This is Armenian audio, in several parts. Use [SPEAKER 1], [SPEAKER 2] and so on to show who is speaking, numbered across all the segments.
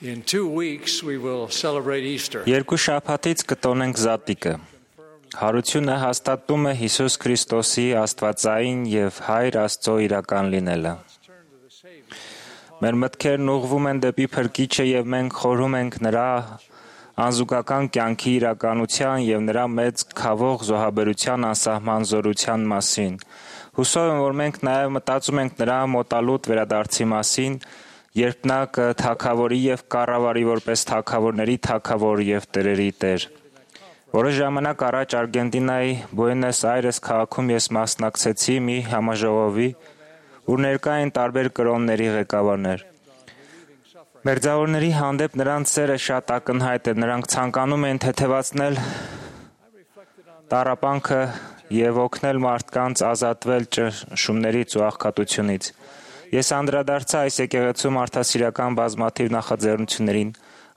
[SPEAKER 1] In 2 weeks, we will celebrate Easter.
[SPEAKER 2] Երկու շաբաթից կտոնենք Զատիկը։ Հարությունը հաստատում է Հիսուս Քրիստոսի Աստվածային եւ Հայր Աստծո իրական լինելը։ Մեր մտքերն ուղղվում են դեպի Փրկիչը եւ մենք խորհում ենք նրա անզուգական կյանքի իրականության եւ նրա մեծ քավող զոհաբերության անսահման զորության մասին։ Հուսով եմ, որ մենք նաեւ մտածում ենք նրա մոտալուտ վերադարձի մասին, երբ նա կթագավորի եւ կառավարի որպես թագավորների թագավոր եւ տերերի տեր։ Որոշ ժամանակ առաջ Արգենտինայի Բուենոս Այրես քաղաքում ես մասնակցեցի մի համաժողովի, ուր ներկա էին տարբեր կրոնների ղեկավարներ։ Մերձավորների հանդեպ նրանց սերը շատ ակնհայտ է, նրանք ցանկանում են թեթևացնել տառապանքը եւ օգնել մարդկանց ազատվել ճնշումներից ու աղքատությունից։ Ես անդրադարձա այս եկեղեցու մարդասիրական բազմաթիվ նախաձեռնություններին,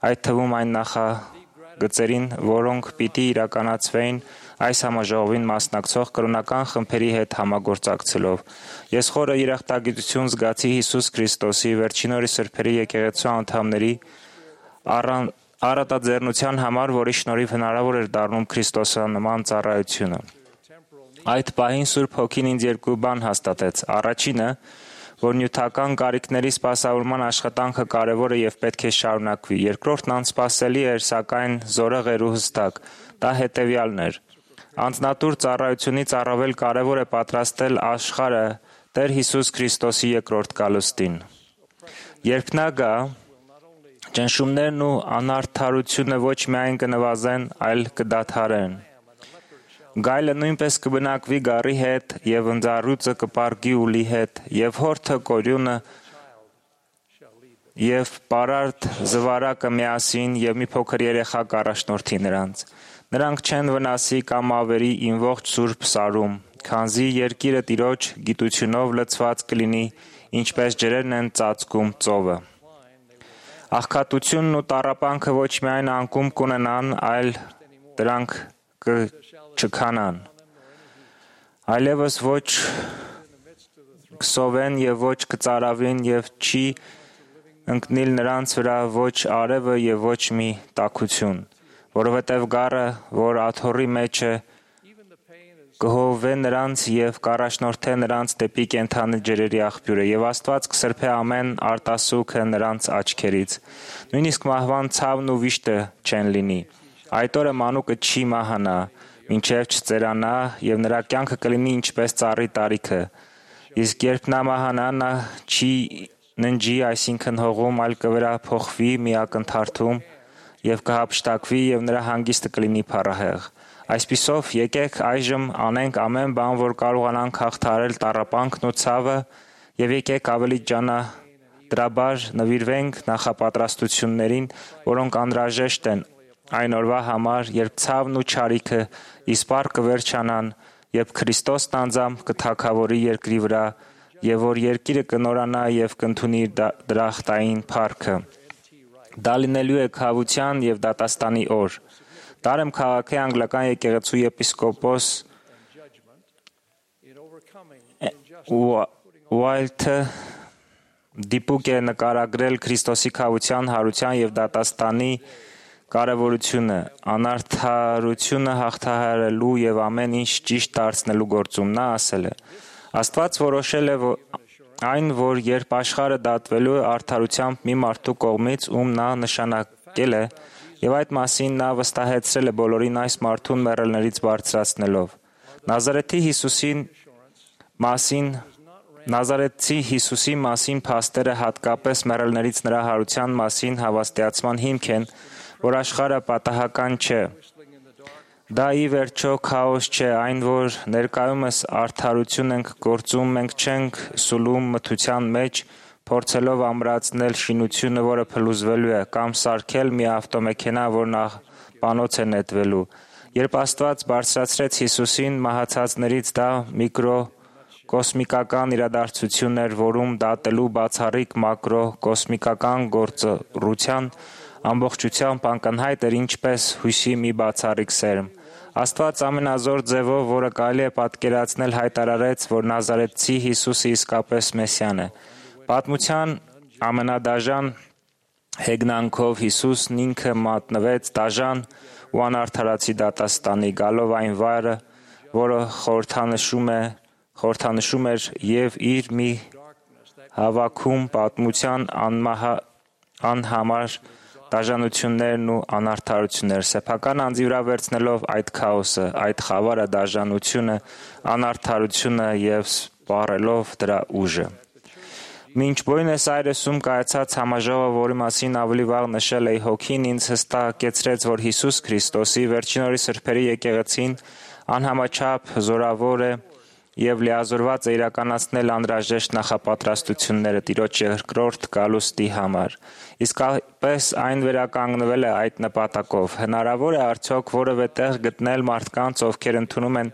[SPEAKER 2] այդ թվում այն նախագծերին, որոնք պիտի իրականացվեին այս համաժողովին մասնակցող կրոնական խմբերի հետ համագործակցելով։ Ես խորը երախտագիտություն զգացի Հիսուս Քրիստոսի վերջին օրի սրբերի եկեղեցու անդամների առատաձեռնության համար, որի շնորհիվ հնարավոր էր դառնում Քրիստոսանման ծառայությունը։ Այդ պահին Սուրբ Հոգին ինձ երկու բան հաստատեց։ Առաջինը, որ նյութական կարիքների սպասավորման աշխատանքը կարևոր է եւ պետք է շարունակվի։ Երկրորդն անսպասելի էր, սակայն զորեղ էր ու հստակ։ Դա հետեւյալն էր. անձնատուր ծառայությունից առավել կարևոր է պատրաստել աշխարհը Տեր Հիսուս Քրիստոսի երկրորդ գալուստին։ Երբ նա գա, ճնշումներն ու անարդարությունը ոչ միայն կնվազեն, այլ կդադարեն։ Գայլը նույնպես կբնակվի գառի հետ, եւ ընձառյուծը կպառկի ուլի հետ, եւ հորթը կորյունը, եւ պարարտ զվարակը միասին, եւ մի փոքր երեխա կառաջնորդի նրանց։ Նրանք չեն վնասի կամ ավերի իմ ողջ սուրբ սարում, քանզի երկիրը Տիրոջ գիտությունով լցված կլինի, ինչպես ջրերն են ծածկում ծովը։ Աղքատությունն ու տառապանքը ոչ միայն անկում կունենան, այլ դրանք չքանան։ Այլևս ոչ կսովեն եւ ոչ կծարավին եւ չի ընկնիլ նրանց վրա ոչ արևը եւ ոչ մի տաքություն, որովհետեւ գառը, որ աթոռի մեջ է, կհովվե նրանց եւ կառաջնորդե նրանց դեպի կենդանի ջրերի աղբյուրը եւ Աստված կսրբե ամեն արտասուքը նրանց աչքերից։ Նույնիսկ մահվան ցավն ու վիշտը չեն լինի։ Այդ օրը մանուկը չի մահանա, մինչև չծերանա եւ նրա կյանքը կլինի ինչպես ծառի տարիքը։ Իսկ երբ նա մահանա, նա չի ննջի, այսինքն հողում, այլ կվերափոխվի մի ակնթարթում եւ կհափշտակվի եւ նրա հանգիստը կլինի փառահեղ։ Այսպիսով, եկեք այժմ անենք ամեն բան, որ կարողանանք հաղթահարել տառապանքն ու ցավը, եւ եկեք ավելի ջանադրաբար նվիրվենք նախապատրաստություններին, որոնք անհրաժեշտ են այն օրվա համար, երբ ցավն ու չարիքը իսպառ կվերջանան, երբ Քրիստոսն անձամբ կթագավորի երկրի վրա, եւ որ երկիրը կնորանա եւ կընդունի դրախտային փառքը։ Դա լինելու է քավության եւ դատաստանի օր։ Դարեմ քաղաքի անգլիկան եկեղեցու եպիսկոպոս Ուայլթը դիպուկ է նկարագրել Քրիստոսի քավության, հարության եւ դատաստանի կարևորությունը, անարդարությունը հաղթահարելու եւ ամեն ինչ ճիշտ դարձնելու գործում։ Նա ասել է. Աստված որոշել է այն, որ երբ աշխարհը դատվելու է արդարությամբ մի մարդու կողմից, ում նա նշանակել է, եւ այդ մասին նա վստահեցրել է բոլորին այս մարդուն մեռելներից բարձրացնելով։ Նազարեթցի Հիսուսի մասին փաստերը հատկապես մեռելներից նրա հարության մասին հավաստիացման հիմք են, որ աշխարհը պատահական չէ։ Դա ի վերջո քաոս չէ, այն որ ներկայումս արդարություն ենք գործում, մենք չենք սուլում մթության մեջ, փորձելով ամրացնել շինությունը, որը փլուզվելու է, կամ սարքել մի ավտոմեքենա, որն աղբանոց է նետվելու։ Երբ Աստված բարձրացրեց Հիսուսին մահացածներից, դա միկրոկոսմիկական իրադարձություն էր, որում դատելու բացառիկ մակրոկոսմիկական գործառության ամբողջությամբ ակնհայտ էր ինչպես հույսի մի բացառիկ սերմ։ Աստված ամենազոր ձևով, որը կարելի է պատկերացնել, հայտարարեց, որ Նազարեթցի Հիսուսը իսկապես Մեսիան է։ Պատմության ամենադաժան Հեգնանքով Հիսուսն ինքը մատնվեց դաժան ու անարդարացի դատաստանի, գալով այն վայրը, որը խորհրդանշում էր եւ իր մի հավաքում պատմության անհամար դաժանություններն ու անարդարություններ, սեփական անձի վրա վերցնելով այդ քաոսը, այդ խավարը, դաժանությունը, անարդարությունը եւ սպառելով դրա ուժը։ Մինչ Բոյնես Այրեսում կայացած համաժողովը, որի մասին ավելի վաղ նշել էի, հոգին ինձ հստակեցրեց, որ Հիսուս Քրիստոսի վերջին օրի սրբերի եկեղեցին անհամաչափ զորավոր է եւ լիազորված է իրականացնել անհրաժեշտ նախապատրաստությունները Տիրոջ երկրորդ գալուստի համար։ Իսկապես այն վերականգնվել է այդ նպատակով։ Հնարավոր է արդյոք որևէ տեղ գտնել մարդկանց, ովքեր ընդունում են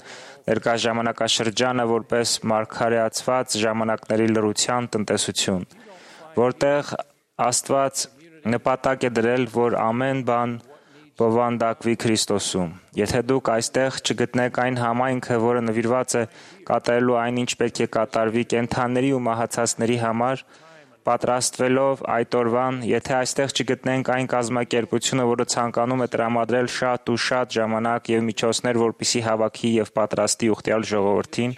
[SPEAKER 2] ներկա ժամանակաշրջանը որպես մարգարեացված ժամանակների լռության տնտեսություն, որտեղ Աստված նպատակ է դրել, որ ամեն բան բովանդակվի Քրիստոսում։ Եթե դուք այստեղ չգտնեք այն համայնքը, որը նվիրված է կատարելու այն, ինչ պետք է կատարվի կենդանիների ու մահացածների համար, պատրաստվելով այդ օրվան, եթե այստեղ չգտնենք այն կազմակերպությունը, որը ցանկանում է տրամադրել շատ ու շատ ժամանակ եւ միջոցներ, որպեսզի հավաքի եւ պատրաստի ուխտյալ ժողովրդին,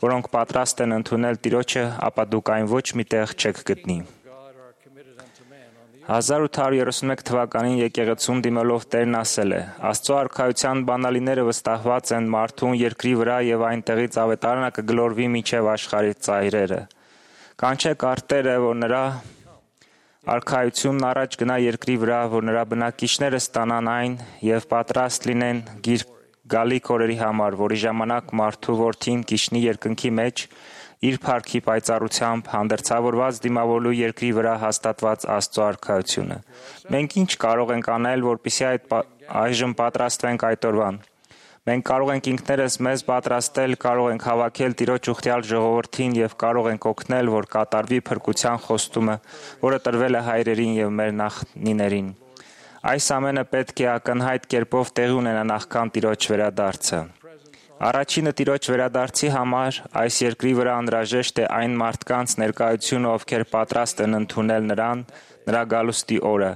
[SPEAKER 2] որոնք պատրաստ են ընդունել Տիրոջը, ապա դուք այն ոչ մի տեղ չեք գտնի։ 1831 թվականին եկեղեցուն դիմելով Տերն ասել է. Աստծո արքայության բանալիները վստահված են մարդուն երկրի վրա եւ այնտեղից ավետարանը կգլորվի մինչեւ աշխարհի ծայրերը։ Կանչեք արտերը, որ նրա արքայությունն առաջ գնա երկրի վրա, որ նրա բնակիչները ստանան այն եւ պատրաստ լինեն գալիք օրերի համար, որի ժամանակ մարդու որդին կիջնի երկնքի մեջ իր փառքի պայծառությամբ հանդերձավորված դիմավորելու երկրի վրա հաստատված Աստծո արքայությունը։ Մենք ինչ կարող ենք անել, որպեսզի այժմ պատրաստվենք այդ օրվան։ Մենք կարող ենք ինքներս մեզ պատրաստել, կարող ենք հավաքել Տիրոջ ուխտյալ ժողովրդին եւ կարող ենք օգնել, որ կատարվի փրկության խոստումը, որը տրվել է հայրերին եւ մեր նախնիներին։ Այս ամենը պետք է ակնհայտ կերպով տեղի ունենա նախքան Տիրոջ վերադարձը։ Առաջինը Տիրոջ վերադարձի համար այս երկրի վրա անհրաժեշտ է այն մարդկանց ներկայությունը, ովքեր պատրաստ են ընդունել նրան, նրա գալուստի օրը։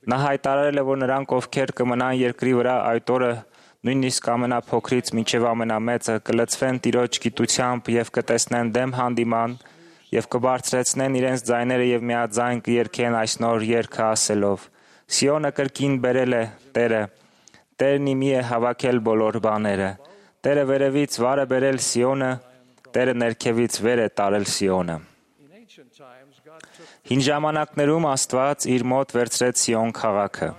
[SPEAKER 2] Նա հայտարարել է, որ նրանք, ովքեր կմնան երկրի վրա այդ օրը, նույնիսկ ամենափոքրից մինչև ամենամեծը, կլցվեն Տիրոջ գիտությամբ եւ կտեսնեն դեմ հանդիման եւ կբարձրացնեն իրենց ձայները եւ միաձայն կերկեն այս նոր երգը ասելով. Սիոնը կրկին բերել է Տերը, Տերն իմի է հավաքել բոլոր բաները։ Տերը վերևից վար է բերել Սիոնը, Տերը ներքևից վեր է տարել Սիոնը։ Հին ժամանակներում Աստված իր մոտ վերցրեց Սիոն քաղաքը,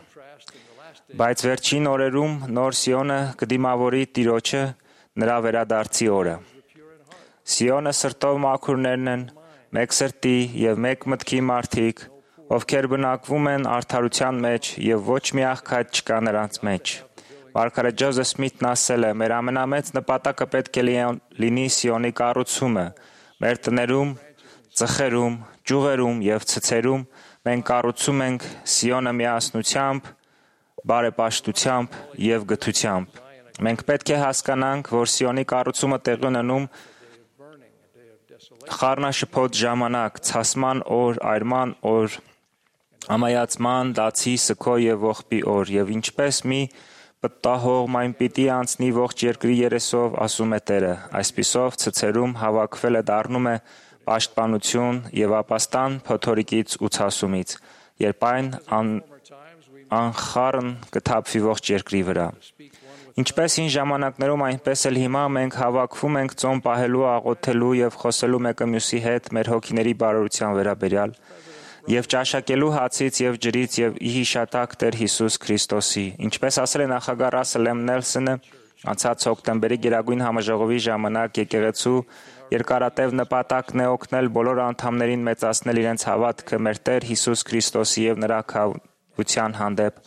[SPEAKER 2] բայց վերջին օրերում նոր Սիոնը կդիմավորի Տիրոջը նրա վերադարձի օրը։ Սիոնը սրտով մաքուրներն են, մեկ սրտի եւ մեկ մտքի մարդիկ, ովքեր բնակվում են արդարության մեջ եւ ոչ մի աղքատ չկա նրանց մեջ։ Մարգարետ Ջոզեֆ Սմիթն ասել է. «Մեր ամենամեծ նպատակը պետք է լինի Սիոնի կառուցումը։ Մեր տներում, ծխերում, ճյուղերում եւ ցցերում մենք կառուցում ենք Սիոնը միասնությամբ, բարեպաշտությամբ եւ գթությամբ։ Մենք պետք է հասկանանք, որ Սիոնի կառուցումը տեղի ունենում խառնաշփոթ ժամանակ, ցասման օր, այրման օր, ամայացման, դացի, սգո եւ ողբի օր, եւ ինչպես մի պտտահողմ այն պիտի անցնի ողջ երկրի երեսով, ասում է Տերը։ Այսպիսով ցցերում հավաքվելը դառնում է պաշտպանություն եւ ապաստան փոթորիկից ու ցասումից, երբ այն անխառն կթափվի ողջ երկրի վրա։ Ինչպես հին ժամանակներում, այնպես էլ հիմա մենք հավաքվում ենք ծոմ պահելու, աղոթելու եւ խոսելու մեկը մյուսի հետ մեր հոգիների բարօրության վերաբերյալ եւ ճաշակելու հացից եւ ջրից եւ ի հիշատակ Տեր Հիսուս Քրիստոսի։ Ինչպես ասել է նախագահ Ռասել Էմ Նելսոնը անցած հոկտեմբերի Գերագույն համաժողովի ժամանակ, եկեղեցու երկարատև նպատակն է օգնել բոլոր անդամներին մեծացնել իրենց հավատքը մեր Տեր Հիսուս Քրիստոսի եւ նրա քավության հանդեպ,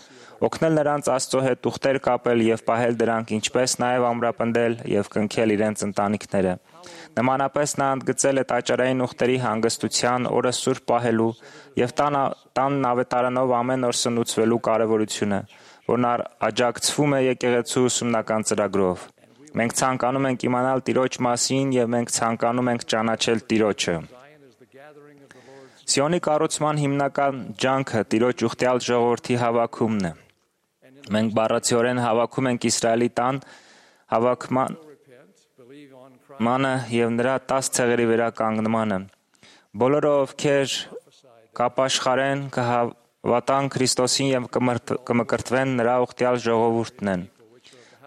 [SPEAKER 2] օգնել նրանց Աստծո հետ ուխտեր կապել եւ պահել դրանք, ինչպես նաեւ ամրապնդել եւ կնքել իրենց ընտանիքները։ Նմանապես նա ընդգծել է տաճարային ուխտերի հանգստության օրը սուրբ պահելու եւ տանն ավետարանով ամեն օր սնուցվելու կարեւորությունը, որն աջակցվում է եկեղեցու ուսումնական ծրագրով։ Մենք ցանկանում ենք իմանալ Տիրոջ մասին եւ մենք ցանկանում ենք ճանաչել Տիրոջը։ Սիոնի կառուցման հիմնական ջանքը Տիրոջ ուխտյալ ժողովրդի հավաքումն է։ Մենք բառացիորեն հավաքում ենք Իսրայելի տան հավաքմանը եւ նրա 10 ցեղերի վերականգնմանը։ Բոլորը, ովքեր կապաշխարեն, կհավատան Քրիստոսին եւ կմկրտվեն, նրա ուխտյալ ժողովուրդն են։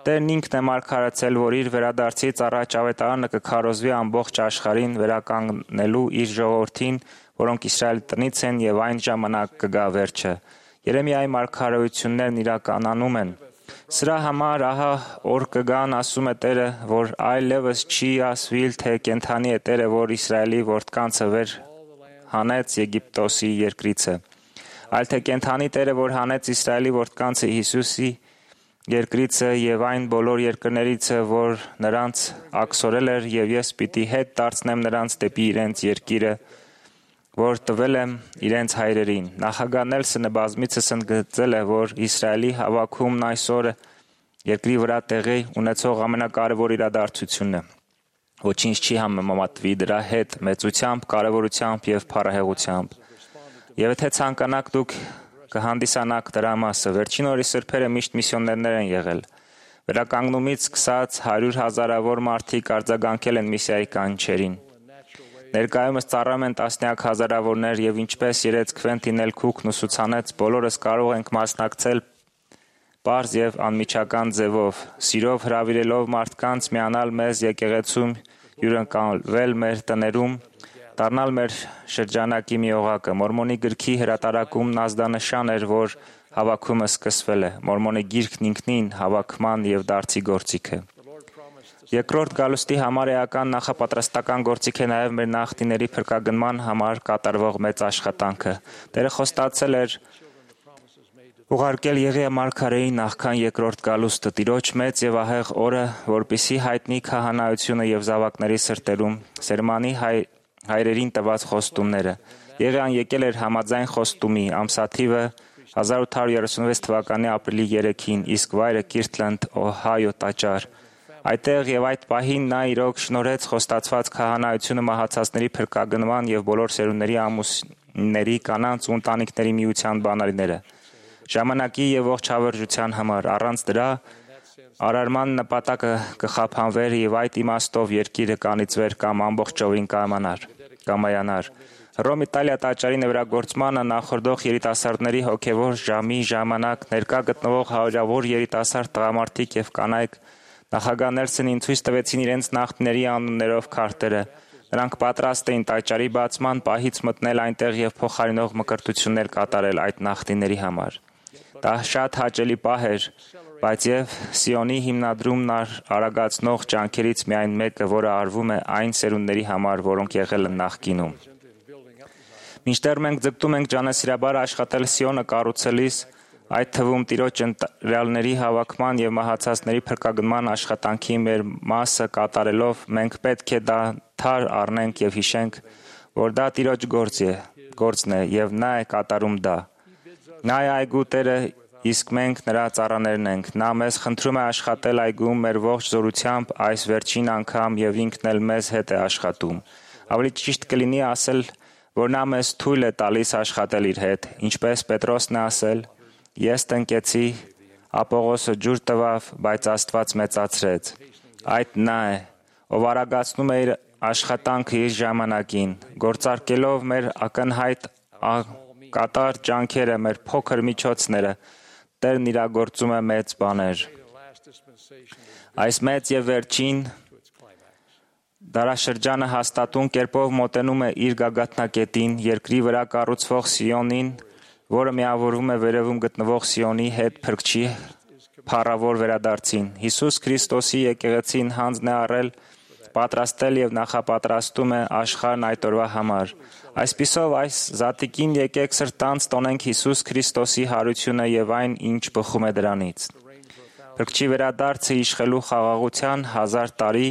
[SPEAKER 2] Տերն ինքն է մարգարեցել, որ իր վերադարձից առաջ ավետարանը կքարոզվի ամբողջ աշխարհին վերականգնելու իր ժողովրդին, որոնք Իսրայելի տնից են, եւ այն ժամանակ կգա վերջը։ Երեմիայի մարգարեություններն իրականանում են։ Սրա համար ահա օր կգան, ասում է Տերը, որ այլևս չի ասվիլ, թե կենթանի է Տերը, որ Իսրայելի որդկանցը վեր հանեց Եգիպտոսի երկրիցը, այլ թե կենթանի Տերը, որ հանեց Իսրայելի որդկանցը Հիսուսի երկրիցը եւ այն բոլոր երկրներիցը, որ նրանց աքսորել էր, եւ ես պիտի հետ դարձնեմ նրանց դեպի իրենց երկիրը, որ տվել եմ իրենց հայրերին։ Նախագահ Նելսոնը բազմիցս ընդգծել է, որ Իսրայելի հավաքումն այսօր երկրի վրա տեղի ունեցող ամենակարևոր իրադարձությունն է։ Ոչինչ չի համեմատվի դրա հետ մեծությամբ, կարևորությամբ եւ փառահեղությամբ։ Եվ եթե ցանկանաք, դուք կհանդիսանաք դրա մասը։ Վերջին օրի սրբերը միշտ միսիոներներ են եղել։ Վերականգնումից սկսած 100,000-ավոր մարդիկ արձագանքել են միսիայի կանչերին։ Ներկայումս ծառայում են տասնյակ հազարավորներ եւ ինչպես երեցքվեն տինել քուքն ու սուցանեց, բոլորս կարող ենք մասնակցել պարզ եւ անմիջական ձևով, սիրով հրավիրելով մարդկանց միանալ մեզ եկեղեցում, հյուրընկալվել մեր տներում, դառնալ մեր շրջանակի մի օղակը։ Մորմոնի գրքի հրատարակումն ազդանշան էր, որ հավաքումը սկսվել է։ Մորմոնի գիրքն ինքնին հավաքման եւ դարձի գործիք է։ Երկրորդ գալուստի համար էական նախապատրաստական գործիք է նաև մեր նախնիների փրկագնման համար կատարվող մեծ աշխատանքը։ Տերը խոստացել էր ուղարկել Եղիա մարգարեի նախքան երկրորդ գալուստը, Տիրոջ մեծ եւ ահեղ օրը, որպիսի հայտնի քահանայությունը եւ զավակների սրտերում Սերմանի հայրերին տված խոստումները։ Եղիան եկել էր համաձայն խոստումի, ամսաթիվը 1836 թվականի ապրիլի 3-ին, իսկ վայրը Կիրթլենդ, Օհայո տաճար։ Այդտեղ եւ այդ պահին նա իրոք շնորհեց խոստացված քահանայությունը մահացածների փրկագնման եւ բոլոր սերունդների ամուսինների, կանանց ու ընտանիքների միության բանալիները։ Ժամանակի եւ ողջ հավերժության համար, առանց դրա արարման նպատակը կխափանվեր եւ այդ իմաստով երկիրը կանիծվեր կամ ամբողջովին կայանար։ Հռոմ Իտալիա տաճարի նվերագործմանը նախորդող երիտասարդների հոգևոր ժամի ժամանակ ներկա գտնվող հարյուրավոր երիտասարդ տղամարդիկ եւ կանայք նախագահ Նելսոնին ցույց տվեցին իրենց նախնիների անուններով քարտերը։ Նրանք պատրաստ էին տաճարի բացման պահից մտնել այնտեղ եւ փոխարինող մկրտություններ կատարել այդ նախնիների համար։ Դա շատ հաճելի պահ էր, բայց եւ Սիոնի հիմնադրումն արագացնող ջանքերից միայն մեկը, որը արվում է այն սերունդների համար, որոնք եղել են նախկինում։ Մինչդեռ մենք ձգտում ենք ջանասիրաբար աշխատել Սիոնը կառուցելիս, այդ թվում Տիրոջ ընտրյալների հավաքման եւ մահացածների փրկագնման աշխատանքի մեր մասը կատարելով, մենք պետք է դադար առնենք եւ հիշենք, որ դա Տիրոջ գործն է եւ նա է կատարում դա։ Նա է այգու Տերը, իսկ մենք նրա ծառաներն ենք։ Նա մեզ խնդրում է աշխատել այգում մեր ողջ զորությամբ այս վերջին անգամ եւ ինքն էլ մեզ հետ է աշխատում։ Ավելի ճիշտ կլինի ասել, որ նա մեզ թույլ է տալիս աշխատել իր հետ, ինչպես Պետրոսն է ասել. Ես տնկեցի, Ապողոսը ջուր տվավ, բայց Աստված մեծացրեց։ Այդ նա է, ով արագացնում է իր աշխատանքը իր ժամանակին, գործարկելով մեր ակնհայտ կատար ջանքերը, մեր փոքր միջոցները, Տերն իրագործում է մեծ բաներ։ Այս մեծ եւ վերջին դարաշրջանը հաստատուն կերպով մոտենում է իր գագաթնակետին, երկրի վրա կառուցվող Սիոնին, որը միավորվում է վերևում գտնվող Սիոնի հետ փրկչի փառավոր վերադարձին։ Հիսուս Քրիստոսի եկեղեցին հանձն է առել, պատրաստել եւ նախապատրաստում է աշխարհն այդ օրվա համար։ Այսպիսով այս զատիկին եկեք սրտանց տոնենք Հիսուս Քրիստոսի հարությունը եւ այն, ինչ բխում է դրանից։ Փրկչի վերադարձը իշխելու խաղաղության 1000 տարի,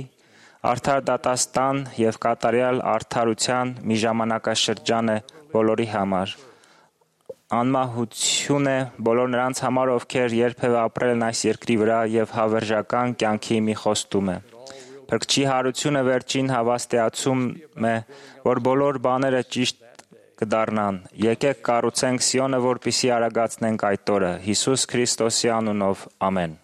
[SPEAKER 2] արդար դատաստան եւ կատարյալ արդարության մի ժամանակաշրջան է բոլորի համար։ Անմահություն է բոլոր նրանց համար, ովքեր երբևէ ապրել են այս երկրի վրա եւ հավերժական կյանքի մի խոստում է։ Փրկչի հարությունը վերջին հավաստիացում է, որ բոլոր բաները ճիշտ կդառնան։ Եկեք կառուցենք Սիոնը, որպեսզի արագացնենք այդ օրը։ Հիսուս Քրիստոսի անունով, ամեն։